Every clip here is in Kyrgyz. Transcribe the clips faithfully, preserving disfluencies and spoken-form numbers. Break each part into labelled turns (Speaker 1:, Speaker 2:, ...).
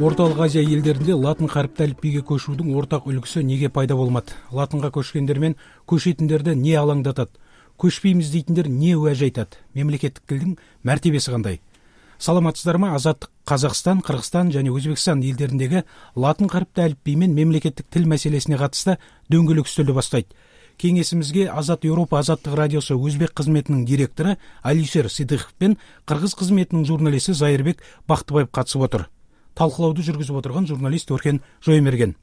Speaker 1: Ортолук Азия элдеринде латын карипти алифбийге көчүүдүн ортак үлгүсү эмнеге пайда болмат? Латынга көчкөндөр менен көчөтүндөрдө эмне алаңдатат? Көчпөйбүз дейтиндер эмне уажы айтат? Мемлекеттик тилдин мартебеси кандай? Саламатсыздарбы? Азаттык Казакстан, Кыргызстан жана Өзбекстан элдериндеги латын карипти алифбий менен мемлекеттик тил маселесине катышты дөңгөлөк үстөлдү баштайт. Кеңесимизге Азат Европа Азаттык радиосу Өзбек кызметинин директору Алишер Сыдыков менен Кыргыз кызметинин журналисти Зайырбек Бактыбаев катышып отур. Талкылооду жүргүзүп отурган журналист Өркен Жоймерген.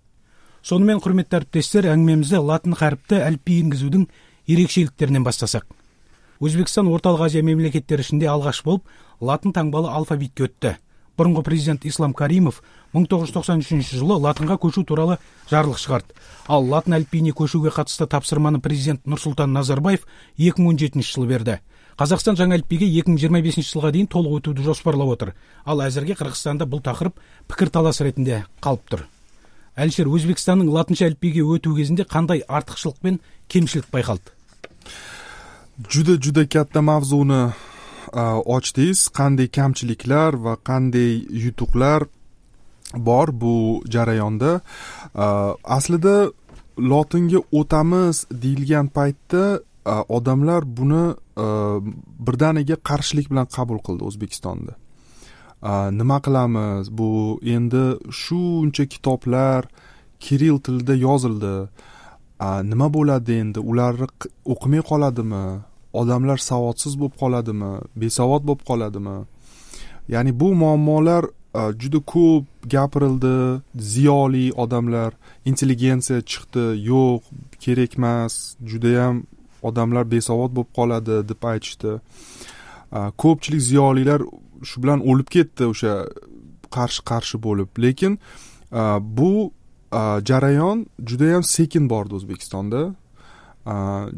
Speaker 1: Сону менен урматтуу арттештер, аңгемемизди латын карипти алифбий энгизүүдүн эрекчеликтеринен баштасак. Өзбекстан Ортолук Азия мемлекеттери ичинде алгаш болуп латын таңбалуу алфавитке өттү. Мурунку президент Ислам Каримов миң тогуз жүз токсон үчүнчү жылы латынга көчүү тууралуу жарлык чыгарды. Ал латын алифбийине көчүүгө катысты тапшырманы президент Нурсултан Назарбаев эки миң он жетинчи жылы берди. Казакстан жаңы алифбийге эки миң жыйырма бешинчи жылга дейин толук өтүүдү жоспарлап отур. Ал азыркы Кыргызстанда бул такырып пикир талаш иретинде калыптыр. Алишер, Өзбекстандын латынча алифбийге өтүү кезинде кандай артыкчылык менен кемчилик байкалды?
Speaker 2: Juda juda katta mavzuni ochdingiz. Qanday kamchiliklar va qanday yutuqlar bor bu jarayonda. Aslida lotinga o'tamiz deyilgan paytda odamlar buni birdaniga qarshilik bilan qabul qildi O'zbekistonda. Nima qilamiz? Bu endi shuncha kitoblar kiril tilida yozildi. Nima bo'ladi endi? Ularni o'qimay qoladimi? Odamlar savodsiz bo'lib qoladimi? Besavod bo'lib qoladimi? Ya'ni bu muammolar juda ko'p gapirildi. Ziyoli odamlar, intelligensiya chiqdi, yo'q, kerak emas, juda ham odamlar besavod bo'lib qoladi deb aytishdi. Ko'pchilik ziyolilar shu bilan o'lib ketdi o'sha qarshi-qarshi bo'lib. Lekin bu jarayon juda ham sekin bordi O'zbekistonda.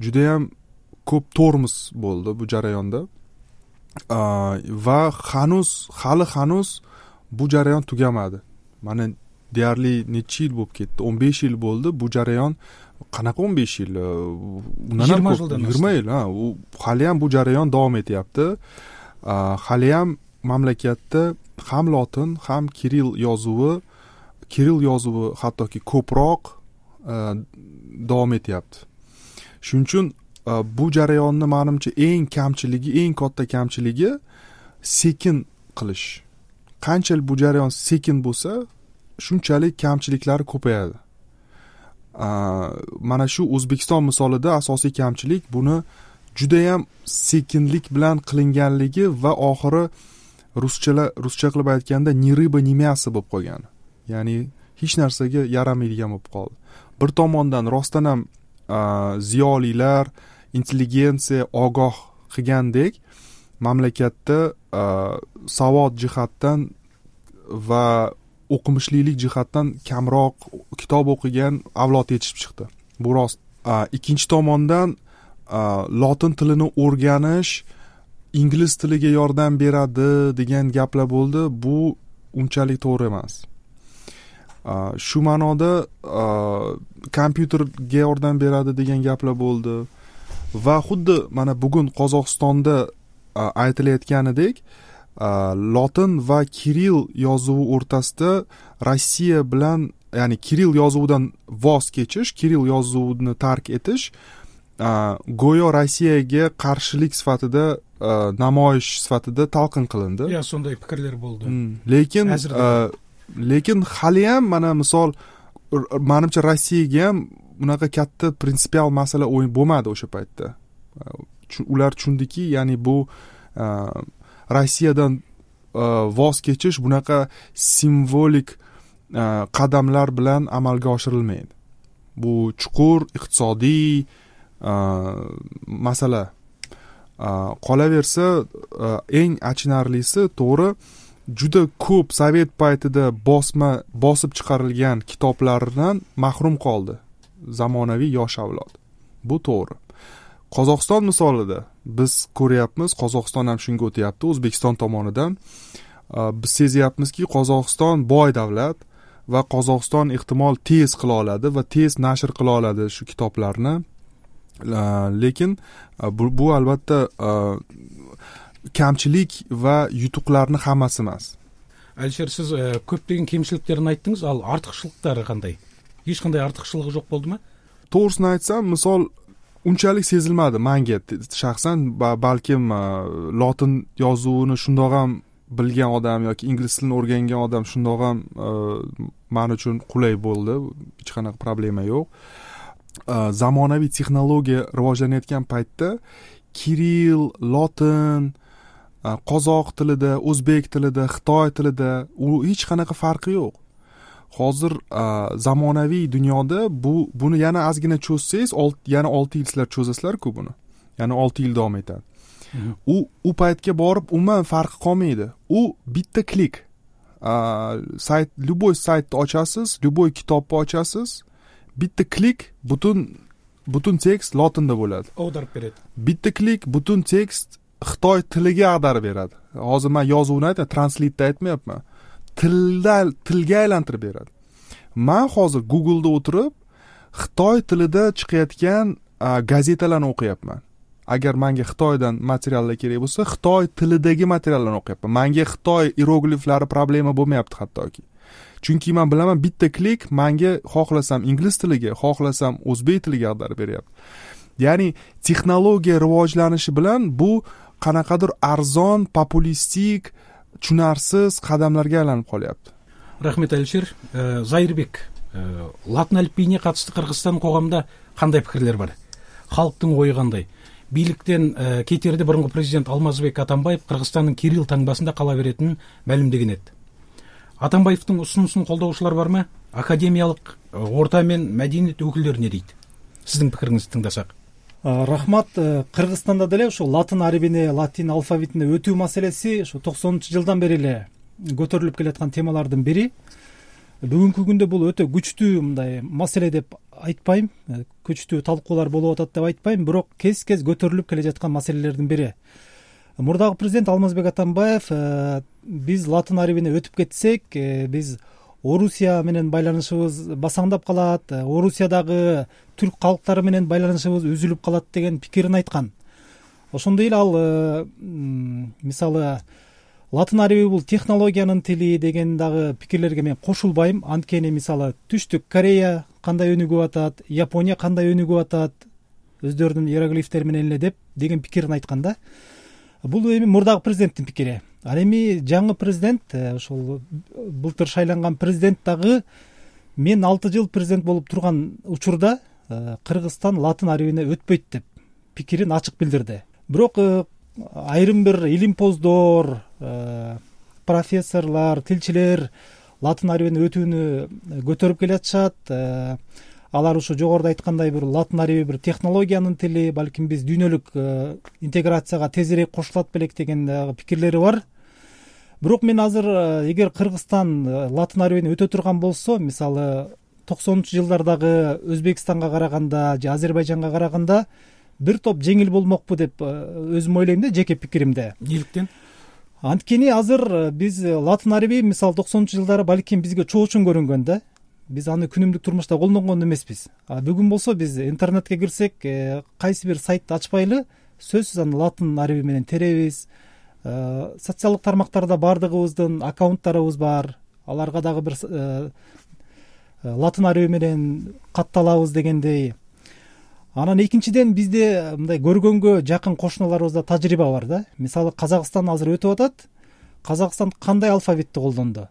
Speaker 2: Juda ham ko'p tormoz bo'ldi bu jarayonda. Va hanuz, hali hanuz bu jarayon tugamadi. Mana deyarli necha yil bo'lib ketdi? o'n besh yil bo'ldi bu jarayon. Qanaqa o'n besh yil? Undan ham ko'p, yigirma yil, ha. U hali ham bu jarayon davom etyapti. Hali ham mamlakatda ham lotin, ham kiril yozuvi, kiril yozuvi hattoki ko'proq davom etyapti. Shuning uchun bu jarayonni menimcha eng kamchiligi, eng katta kamchiligi sekin qilish. Qancha bu jarayon sekin bo'lsa, shunchalik kamchiliklari ko'payadi. Mana shu O'zbekiston misolida asosiy kamchilik buni juda ham sekinlik bilan qilinganligi va oxiri ruschalar ruscha qilib aytganda ni ryba ni мясо bo'lib qolgan. Ya'ni hech narsaga yaramaydigan bo'lib qoldi. Bir tomondan rostdan ham ziyolilar, intelligensiya ogoh qilgandek mamlakatda savod jihatdan va o'qimishlilik jihatdan kamroq kitob o'qigan avlod yetishib chiqdi. Bu rost. Ikkinchi tomondan lotin tilini o'rganish ingliz tiliga yordam beradi degan gaplar bo'ldi. Bu unchalik to'g'ri emas. Shu ma'noda kompyuterga yordam beradi degan gaplar bo'ldi. Va xuddi mana bugun Qozog'istonda aytilayotganidek lotin va kiril yozuvi o'rtasida Rossiya bilan, ya'ni kiril yozuvidan voz kechish, kiril yozuvini tark etish go'yo Rossiyaga qarshilik sifatida, namoyish sifatida talqin qilindi.
Speaker 1: Ya, shunday fikrlar bo'ldi.
Speaker 2: Lekin lekin hali ham mana misol menimcha Rossiyaga ham bunaqa katta prinsipial masala o'yin bo'lmadi o'sha paytda. Ular tushundiki, ya'ni bu Rossiyadan voz kechish bunaqa simvolik qadamlar bilan amalga oshirilmaydi. Bu chuqur iqtisodiy masala. Qolaversa, eng achinarlisi to'g'ri, juda ko'p Sovet paytida bosma bosib chiqarilgan kitoblardan mahrum qoldi zamonaviy yosh avlod. Bu to'g'ri. Qozog'iston misolida biz ko'ryapmiz, Qozog'iston ham shunga o'tyapti O'zbekiston tomonidan. Biz sezyapmizki, Qozog'iston boy davlat va Qozog'iston ehtimol tez qila oladi va tez nashr qila oladi shu kitoblarni. Lekin bu, bu albatta kamchilik va yutuqlarni hammasi emas.
Speaker 1: Алишер, сиз көптөгөн кемчиликтерин айттыңыз, ал артыкчылыктары кандай? Эч кандай артыкчылыгы жок болдума?
Speaker 2: To'g'risini aytsam, misol unchalik sezilmadi menga shaxsan. Balkim lotin yozuvini shundoq ham bilgan odam yoki ingliz tilini o'rgangan odam shundoq ham men uchun qulay bo'ldi. Hech qanaqa problema yo'q. Zamonaviy texnologiya rivojlanayotgan paytda Kirill, lotin, qozoq tilida, o'zbek tilida, xitoy tilida u hech qanaqa farqi yo'q. Hozir zamonaviy dunyoda bu buni yana ozgina cho'zsangiz, yana olti yil sizlar cho'zasizlar-ku buni. Yana olti yil davom etadi. U u paytga borib umuman farqi qolmaydi. U bitta klik. Sayt, любой saytni ochasiz, любой kitobni ochasiz, bitta klik butun butun tekst lotinda bo'ladi.
Speaker 1: Audarib beradi.
Speaker 2: Bitta klik butun tekst xitoy tiliga ag'darib beradi. Hozir men yozuvni aytay, translate aytmayapman. Tilda tilga aylantirib beradi. Men hozir Google'da o'tirib xitoy tilida chiqayotgan gazetalarni o'qiyapman. Agar menga Xitoydan materiallar kerak bo'lsa, Xitoy tilidagi materiallarni o'qiyapman. Menga Xitoy iyerogliflari problema bo'lmayapti hattoki. Chunki men bilaman, bitta klik menga xohlasam ingliz tiliga, xohlasam o'zbek tiliga ag'darib beryapti. Ya'ni texnologiya rivojlanishi bilan bu qanaqadir arzon, populistik, tushunarsiz qadamlarga aylanib qolyapti.
Speaker 1: Rahmat Алишер. Зайырбек, латын әліпбиіне қатысты Кыргызстан коғамда кандай пикирлер бар? Халктын ою кандай? Бийликтен кетерде бұрынғы президент Алмазбек Атамбаев Кыргызстандын Кирилл таңбасында кала беретинин маалымдеген эди. Атамбаевдин усунусун колдоочулар бармы? Академиялык орта мен мәдениет өкүлдөрү не дейт? Сиздин пикириңизди тыңдасак.
Speaker 3: Рахмат. Кыргызстанда деле ушу латын арабине, латин алфавитине өтүү маселеси ушу токсонунчу жылдан бери эле көтөрүлүп келаткан темалардын бири. Бүгүнкү күндө бул өтө күчтүү мындай маселе деп айтпайм, күчтүү талкуулар болуп атат деп айтпайм, бирок кез-кез көтөрүлүп келе жаткан маселелердин бири. Мурдагы президент Алмазбек Атамбаев биз латын арабине өтүп кетсек, биз Орусия менен байланышыбыз басаңдап калат, Орусиядагы түрк калктары менен байланышыбыз үзүлүп калат деген пикирин айткан. Ошондой эле ал мисалы латын араби бул технологиянын тили деген дагы пикирлерге мен кошулбайм. Анткени мисалы Түштүк Корея кандай өнүгүп атат, Япония кандай өнүгүп атат, өздөрүнүн иероглифтери менен эле деп деген пикирин айткан да. Бул эми мурдагы президенттин пикири. Ал эми жаңы президент, ошол былтыр шайланган президент дагы мен алты жыл президент болуп турган учурда Кыргызстан латын арабине өтпөйт деп пикирин ачык билдирди. Бирок айрым бир илимпоздор, профессорлор, тилчилер латын арабине өтүүнү көтөрүп келатышат. Алар ушу жогоруда айткандай бир латын араби бир технологиянын тили, балким биз дүйнөлүк интеграцияга тезирээк кошулат белек деген пикирлери бар. Бирок мен азыр эгер Кыргызстан латын арабине өтө турган болсо, мисалы токсонунчу жылдардагы Өзбекстанга караганда же Азербайжанга караганда бир топ жеңил болмокпу деп өзүм ойлойм да, жеке пикиримде.
Speaker 1: Неликтен?
Speaker 3: Анткени азыр биз латын араби мисалы токсонунчу жылдары балким бизге чоочун көрүнгөн да. Биз аны күнүмдүк турмушта колдонгон эмеспиз. А бүгүн болсо биз интернетке кирсек, кайсы бир сайтты ачпайлы сөзсүз аны латын араби менен теребиз. Социалдык тармактарда бардыгыбыздын аккаунттарыбыз бар. Аларга дагы бир латын араби менен катталабыз дегендей. Анан экинчиден бизде мындай көргөнгө жакын кошуналарыбызда тажрыйба бар да. Мисалы Казакстан азыр өтүп атат. Казакстан кандай алфавитти колдонду?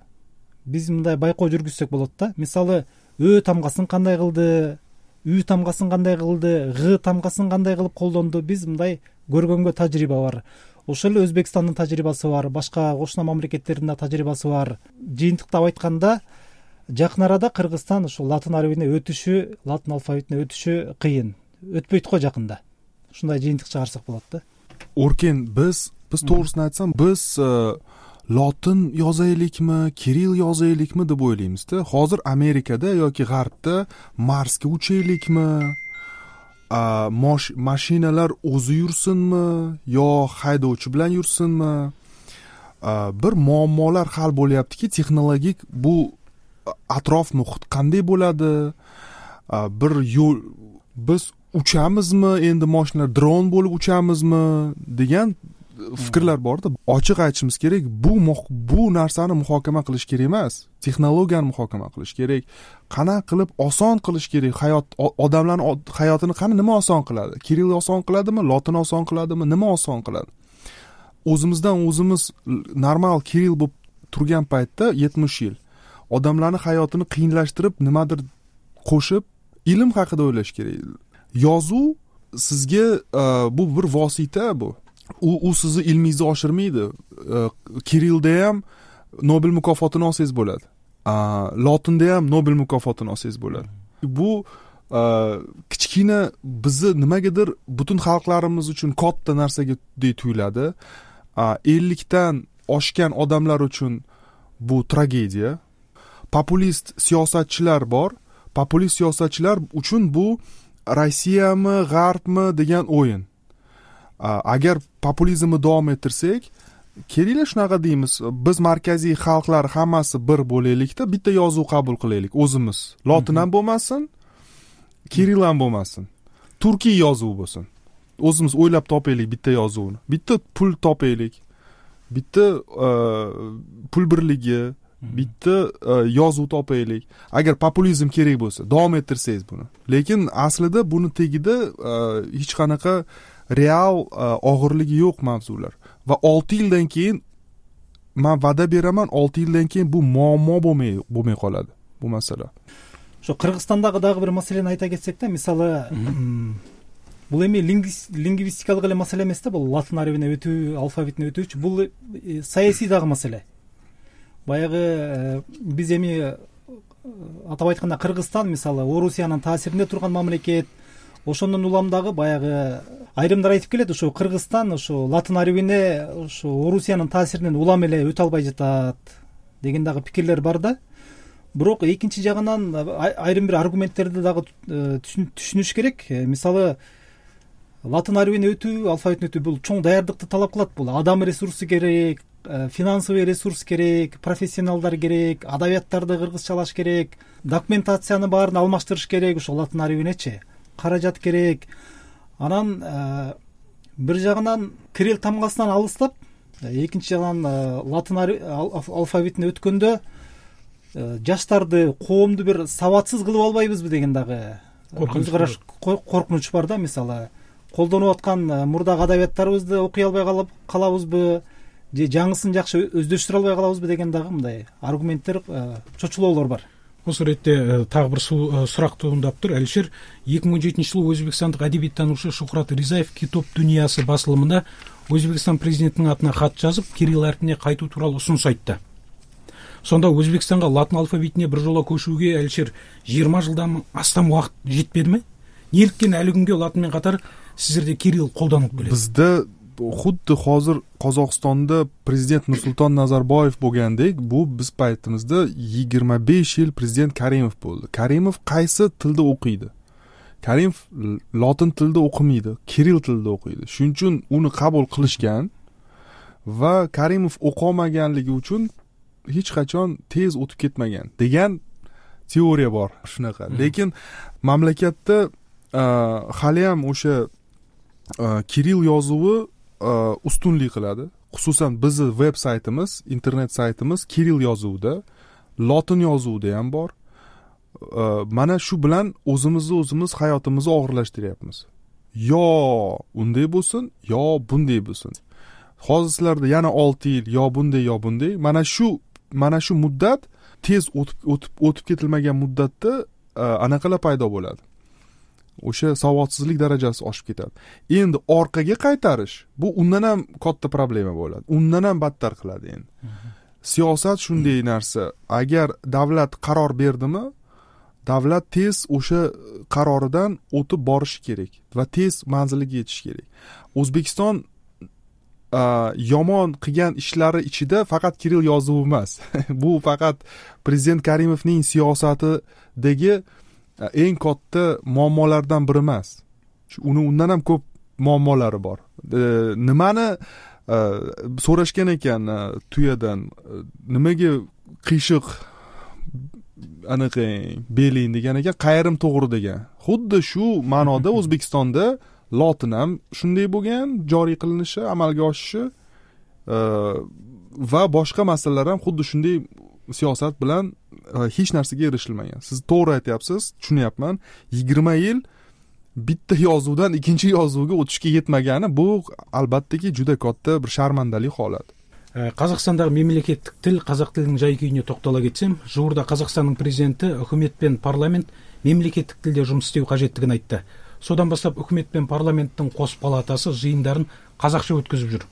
Speaker 3: Биз мындай байкоо жүргүзсөк болот да. Мисалы Ö тамгасын кандай кылды, Ү тамгасын кандай кылды, Г тамгасын кандай кылып колдонду? Биз мындай көргөнгө тажрыйба бар. Ошол эле Өзбекстандын тажрыйбасы бар, башка кошуна мамлекеттердин тажрыйбасы бар. Жыйынтыктап айтканда, жакын арада Кыргызстан ошо латын арабине өтүшү, латын алфавитине өтүшү кыйын. Өтпөйт го жакында. Ушундай жыйынтык чыгарсак болот да.
Speaker 2: Оркен, биз биз to'g'risini aytsam, biz lotin yozaylikmi, Kirill yozaylikmi deb o'ylaymizda. Hozir Amerikada yoki G'arbda Marsga uchaylikmi, mashinalar o'zi yursinmi yo haydovchi bilan yursinmi, bir muammolar hal bo'lyaptiki, texnologik bu atrof muhit qanday bo'ladi, bir yo'l biz uchamizmi, endi mashinalar dron bo'lib uchamizmi degan fikrlar borda. Ochiq aytishimiz kerak, bu bu narsani muhokama qilish kerak emas, texnologiyani muhokama qilish kerak. Qanaqa qilib oson qilish kerak hayot, odamlarning hayotini qani nima oson qiladi? Kirill oson qiladimi, lotin oson qiladimi, nima oson qiladi? O'zimizdan o'zimiz normal Kirill bo'lib turgan paytda yetmish yil odamlarning hayotini qiyinlashtirib, nimadir qo'shib, ilm haqida o'ylash kerak. Yozuv sizga bu bir vosita bu. U u sizni ilmingizni oshirmaydi. Kirillda ham Nobel mukofotini olsangiz bo'ladi. Lotinda ham Nobel mukofotini olsangiz bo'ladi. Bu kichkina bizni nimagadir butun xalqlarimiz uchun katta narsaga tuyuladi. ellikdan oshgan odamlar uchun bu tragediya. Populist siyosatchilar bor. Populist siyosatchilar uchun bu Rossiyami, G'arbmi degan o'yin. Agar populizmni davom ettirsak, kerakli shunaqa deymiz, biz markaziy xalqlar hammasi bir bo'laylikda, bitta yozuv qabul qilaylik o'zimiz. Lotin ham bo'lmasin, Kirill ham bo'lmasin. Turkiy yozuv bo'lsin. O'zimiz o'ylab topaylik bitta yozuvni. Bitta pul topaylik. Bitta pul birligi, bitta yozuv topaylik. Agar populizm kerak bo'lsa, davom ettirsangiz buni. Lekin aslida buni tagida hech qanaqa real og'irligi yo'q mavzular. Va olti yildan keyin men va'da beraman, olti yildan keyin bu muammo bo'lmay bo'lmay qoladi bu masala.
Speaker 3: Shu Qirg'izstondagi dagы bir masalani ayta ketsek-da, misалы бул эми лингвистикалык эле маселе эмес да, бул латын арабине өтүү, алфавитине өтүүчү, бул саясий дагы маселе. Баягы биз эми атап айтканда Кыргызстан мисалы Орусиянын таасиринде турган мамлекет, ошондон улам дагы баягы айрымдар айтып келет, ошо Кыргызстан ошо латын арабине ошо Орусиянын таасиринен улам эле өтө албай жатат деген дагы пикирлер бар да. Бирок экинчи жагынан айрым бир аргументтерди дагы түшүнүш керек. Мисалы латын арабине өтүү, алфавитине өтүү бул чоң даярдыкты талап кылат. Бул адам ресурсу керек, финансовый ресурс керек, профессионалдар керек, адабияттарды кыргызчалаш керек, документацияны баарын алмаштырыш керек, ошо латын арабинечи. Каражат керек. Анан бир жагынан Кирилл тамгасынан алыстап, экинчи жагынан латын алфавитине өткөндө жаштарды, коомду бир сабатсыз кылып албайбызбы деген дагы көз караш коркунуч бар да. Мисалы колдонуп аткан мурдагы адабияттарыбызды окуй албай калабызбы, же жаңысын жакшы өздөштүрө албай калабызбы деген дагы мындай аргументтер, чочулоолор бар.
Speaker 1: Осы ретте тагы бир сурак туундаптыр. Алишер, эки миң он жетинчи жылы өзбекстандык адебиеттануучу Шухрат Ризаев Китоп дүйнөсү басылымында Өзбекстан президентинин атына кат жазып, Кирилл арпине кайтуу тууралуу усунуш айтты. Сонда Өзбекстанга латын алфавитине бир жоло көчүүгө Алишер жыйырма жылдан астам убакыт жетпедиби? Неліктен әлі күнге латынмен қатар сіздерде Кирилл қолданылып келеді?
Speaker 2: Бізде худди hozir Qozog'istonda prezident Nursulton Nazarboyev bo'lgandek, bu biz paytimizda yigirma besh yil prezident Karimov bo'ldi. Karimov qaysi tilda o'qiydi? Karimov lotin tilida o'qimaydi, Kirill tilida o'qiydi. Shuning uchun uni qabul qilishgan va Karimov o'qolmaganligi uchun hech qachon tez o'tib ketmagan degan teoriya bor shunaqa. Lekin mamlakatda hali ham o'sha Kirill yozuvi ustunlik qiladi. Xususan bizni web saytimiz, internet saytimiz Kirill yozuvida, lotin yozuvida ham bor. Mana shu bilan o'zimizni o'zimiz hayotimizni og'irlashtiryapmiz. Yo unday bo'lsin, yo bunday bo'lsin. Hozir sizlarda yana olti yil yo bunday yo bunday. Mana shu mana shu muddat tez o'tib o'tib o'tib ketilmagan muddatda anaqalar paydo bo'ladi. O'sha savodsizlik darajasi oshib ketadi. Endi orqaga qaytarish bu undan ham katta problema bo'ladi. Undan ham battar qiladi endi. Siyosat shunday narsa. Agar davlat qaror berdimi, davlat tez o'sha qaroridan o'tib borishi kerak va tez manziliga yetish kerak. O'zbekiston yomon qilgan ishlari ichida faqat Kirill yozuvi emas. Bu faqat prezident Karimovning siyosatidagi eng katta muammolardan biri emas. Uni undan ham ko'p muammolari bor. Nimani so'rashgan ekan tuyadan, nimaga qiyshiq aniq beling degan ekan, qayrim to'g'ri degan. Xuddi shu ma'noda O'zbekistonda lotin ham shunday bo'lgan, joriy qilinishi, amalga oshishi va boshqa masalalar ham xuddi shunday siyosat bilan hech narsaga erishilmagan. Siz to'g'ri aytyapsiz, tushunyapman. yigirma yil bitta yozuvdan ikkinchi yozuvga o'tishga yetmagani bu albattaki juda katta bir sharmandalik holat.
Speaker 1: Казакстандагы мемлекеттик тил, казак тилинин жай-күйүнө токтоло кетсем, жуурда Казакстандын президенти өкмөт пен парламент мемлекеттик тилде жумуш истөө кажеттигин айтты. Содан баштап өкмөт пен парламенттин кос палатасы жыйындарын казакча өткөзүп жүр.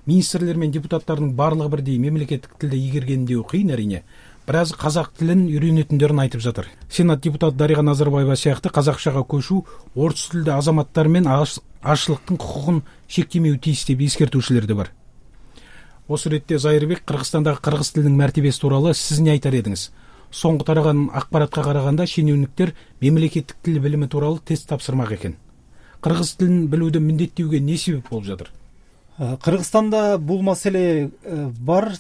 Speaker 1: Министрлер мен депутаттардын барлыгы бирдей мемлекеттик тилде ийгергендүү кыйын әрине. Бираз казак тилин үйрөнөтүндөрүн айтып жатыр. Сенат депутаты Дарига Назарбаева сыяктуу казакчага көчүү орус тилде азаматтар мен ашчылыктын кукугун шектемөө тийиз деп эскертүүчүлөр да бар. Осы ретте Зайырбек, Кыргызстандагы кыргыз тилинин мәртебеси тууралуу сиз эмне айтар едиңиз? Соңку тараган акпаратка караганда шенеунүктөр мемлекеттик тил билими тууралуу тест тапшырмак экен. Кыргыз тилин билүүдө міндеттүүгө не себеп болуп жатыр?
Speaker 3: Кыргызстанда бул маселе бар.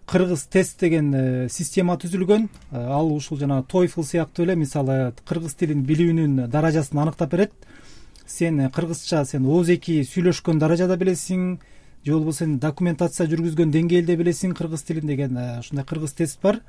Speaker 3: Кыргыз тест деген система түзүлгөн. Ал ушул жана TOEFL сыяктуу эле, мисалы кыргыз тилин билүүнүн даражасын аныктап берет. Сен кыргызча сен ооз эки сүйлөшкөн даражада билесиң, же болбосо сен документация жүргүзгөн деңгээлде билесиң кыргыз тилин деген ушундай кыргыз тест бар.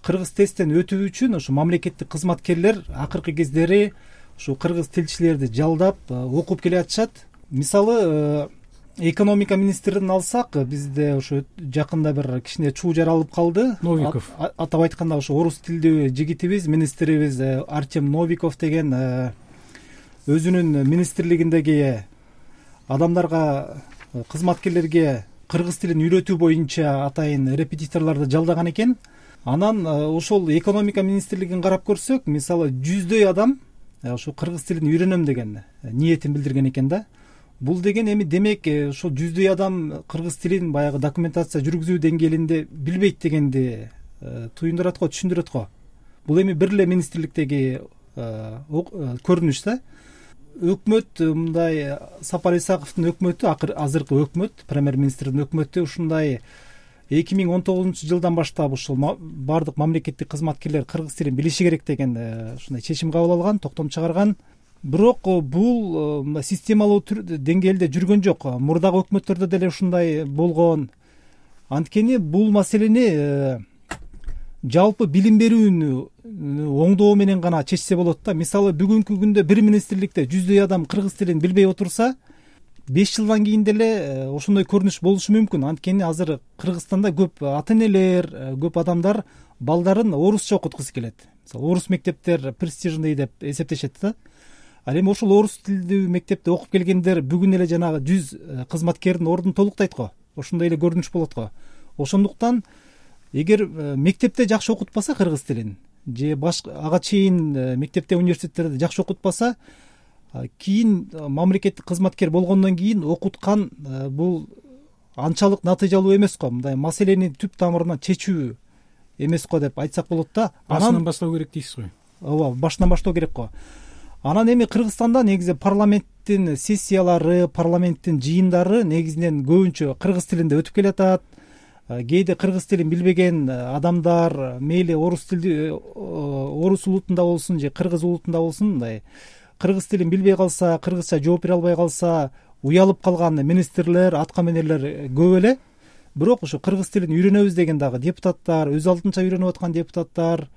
Speaker 3: Кыргыз тесттен өтүү үчүн ушу мамлекеттик кызматкерлер акыркы кездери ушу кыргыз тилчилерди жалдап окуп келе атышат. Мисалы экономика министрин алсак, бизде ушу жакында бир кичине чуу жаралып калды.
Speaker 1: Новиков.
Speaker 3: Атап айтканда ушу орус тилдүү жигитибиз, министрибиз Артем Новиков деген өзүнүн министрлигиндеги адамдарга, кызматкерлерге кыргыз тилин үйрөтүү боюнча атайын репетиторлорду жалдаган экен. Анан ошол экономика министрлигин карап көрсөк, мисалы жүздөй адам ошо кыргыз тилин үйрөнөм деген ниетин билдирген экен да. Бул деген эми демек ошол жүздөй адам кыргыз тилин баягы документация жүргүзүү деңгээлинде билбейт дегенди туюндурат го, түшүндүрөт го. Бул эми бир эле министрликтеги көрүнүш да. Өкмөт мындай Сапар Исаковдун өкмөтү, азыркы өкмөт, премьер-министрдин өкмөтү ушундай эки миң он тогузунчу жылдан баштап ушул бардык мамлекеттик кызматкерлер кыргыз тилин билиши керек деген ушундай чечим кабыл алган, токтом чыгарган. Бирок бул системалуу деңгээлде жүргөн жок. Мурдагы өкмөттөрдө деле ушундай болгон. Анткени бул маселени жалпы билим берүүнү оңдоо менен гана чечсе болот да. Мисалы бүгүнкү күндө бир министрликте жүздөй адам кыргыз тилин билбей отурса, беш жылдан кийин деле ошондой көрүнүш болушу мүмкүн. Анткени азыр Кыргызстанда көп ата-энелер, көп адамдар балдарын орусча окуткусу келет. Мисалы орус мектептер престижный деп эсептешет да. Ал эми ошол орус тилдүү мектепте окуп келгендер бүгүн эле жанагы жүз кызматкердин ордун толуктайт го. Ошондой эле көрүнүш болот го. Ошондуктан эгер мектепте жакшы окутпаса кыргыз тилин, же башка ага чейин мектепте, университеттерде жакшы окутпаса, кийин мамлекеттик кызматкер болгондон кийин окуткан бул анчалык натыйжалуу эмес го. Мындай маселени түп тамырынан чечүү эмес го деп айтсак болот да.
Speaker 1: Башынан баштоо керек дейсиз го.
Speaker 3: Ооба, башынан баштоо керек го. Анан эми Кыргызстанда негизи парламенттин сессиялары, парламенттин жыйындары негизинен көбүнчө кыргыз тилинде өтүп келатат. Кээде кыргыз тилин билбеген адамдар, мейли орус тилди, орус улутунда болсун же кыргыз улутунда болсун, мындай кыргыз тилин билбей калса, кыргызча жооп бере албай калса, уялып калган министрлер, аткаминерлер көп эле. Бирок ошо кыргыз тилин үйрөнөбүз деген дагы депутаттар, өз алдынча үйрөнүп аткан депутаттар,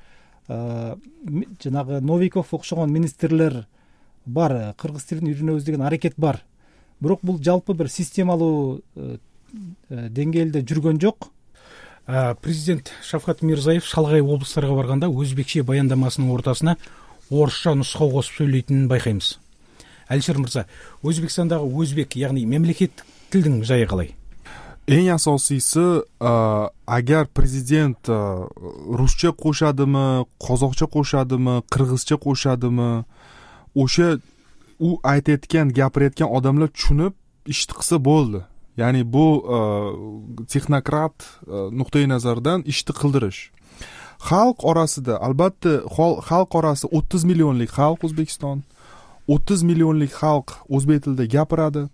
Speaker 3: жанагы Новиков окшогон министрлер бар, кыргыз тилин үйрөнөбүз деген аракет бар. Бирок бул жалпы бир системалуу деңгээлде жүргөн жок.
Speaker 1: Президент Шавкат Мирзиёев шалгай облустарга барганда өзбекче баяндамасынын ортасына орусча нускау косуп сүйлөйтүнүн байкайбыз. Алишер мырза, Өзбекстандагы өзбек, ягни мемлекеттик тилдин жайы калай?
Speaker 2: Эң асосийси, агар президент русча кошадымы, козокча кошадымы, кыргызча кошадымы, ошо у айтып аткан, гапырып аткан адамдар түшүнүп ишти кылса болду. Яни бу технократ нуктай назардан ишти кылдырыш. Халк арасында, албатта, халк арасы отуз миллионлук халк Өзбекстон. отуз миллионлук халк өзбек тилинде гапырады.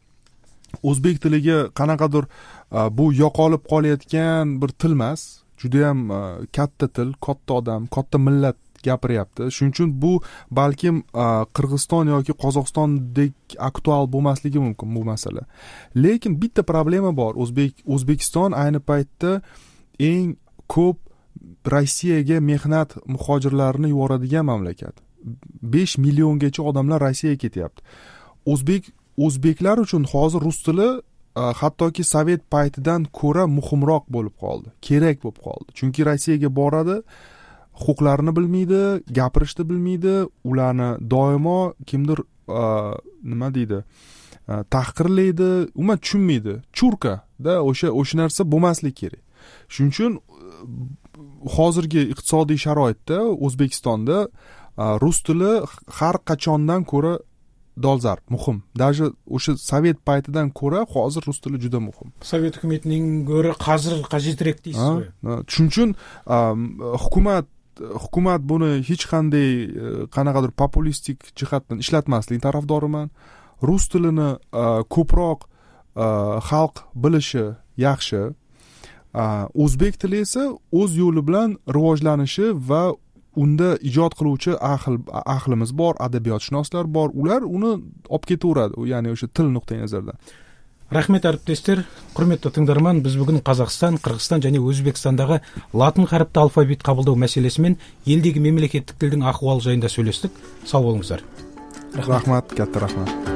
Speaker 2: Өзбек тилиге канакадыр бу yo'qolib qolayotgan bir til emas, juda ham katta til, katta odam, katta millat gapiryapti. Shuning uchun bu balkim Qirg'iziston yoki Qozog'istondek aktual bo'lmasligi mumkin bu masala. Lekin bitta problema bor. O'zbek O'zbekiston ayni paytda eng ko'p Rossiyaga mehnat muhojirlarini yuboradigan mamlakat. besh milliongacha odamlar Rossiyaga ketyapti. O'zbek o'zbeklar uchun hozir rus tili hattoki sovet paytidan ko'ra muhimroq bo'lib qoldi, kerak bo'lib qoldi. Chunki Rossiyaga boradi, huquqlarini bilmaydi, gapirishni bilmaydi, ularni doimo kimdir nima deydi, tahqirlaydi, umuman tushunmaydi. Churka-da o'sha o'sha narsa bo'lmasligi kerak. Shuning uchun hozirgi iqtisodiy sharoitda O'zbekistonda rus tili har qachondan ko'ra dolzarb, muhim. Даже o'sha sovet paytidan ko'ra hozir rus tili juda muhim.
Speaker 1: Sovet hukumatining ko'ra hozir qajetroq deysizmi?
Speaker 2: Shuning uchun hukumat hukumat buni hech qanday qanaqadir populistik jihatdan ishlatmaslik tarafdoriman. Rus tilini ko'proq xalq bilishi yaxshi. O'zbek tili esa o'z yo'li bilan rivojlanishi va unda ijod qiluvchi ahil ahlimiz bor, adabiyotshunoslar bor. Ular uni olib ketaveradi, ya'ni o'sha til nuqtai nazaridan.
Speaker 1: Rahmet әріптестер, құрметті тыңдарман, біз бүгін Қазақстан, Қырғызстан және Өзбекстандагы латын қаріпті алфавит қабылдау мәселесі мен елдегі мемлекеттік тілдің ахуалы жайында сөйлестік. Сау болыңыздар.
Speaker 2: Рахмат, катта рахмат.